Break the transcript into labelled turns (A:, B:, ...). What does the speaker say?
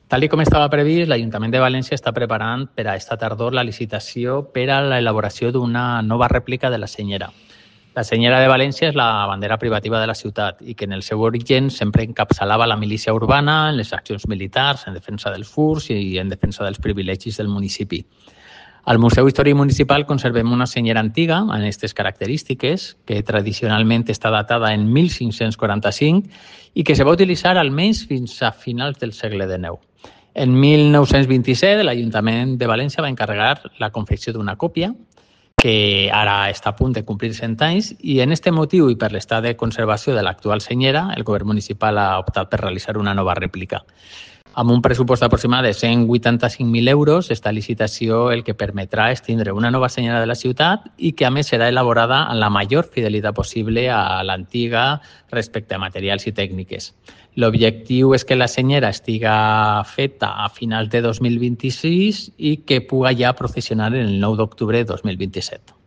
A: Tal com estava previst, l'Ajuntament de València està preparant per a esta tardor la licitació per a l'elaboració d'una nova rèplica de la Senyera. La Senyera de València és la bandera privativa de la ciutat i que en el seu origen sempre encapçalava la milícia urbana en les accions militars, en defensa dels furs i en defensa dels privilegis del municipi. Al Museu Històric Municipal conservem una senyera antiga amb aquestes característiques, que tradicionalment està datada en 1545 i que se va utilitzar almenys fins a finals del segle XIX. En 1927, l'Ajuntament de València va encarregar la confecció d'una còpia, que ara està a punt de complir 100 anys, i en aquest motiu i per l'estat de conservació de l'actual senyera, el govern municipal ha optat per realitzar una nova rèplica. Amb un pressupost aproximat de 185.000 euros, esta licitació el que permetrà és tindre una nova senyera de la ciutat i que a més serà elaborada amb la major fidelitat possible a l'antiga respecte a materials i tècniques. L'objectiu és que la senyera estiga feta a finals de 2026 i que puga ja processionar el 9 d'octubre de 2027.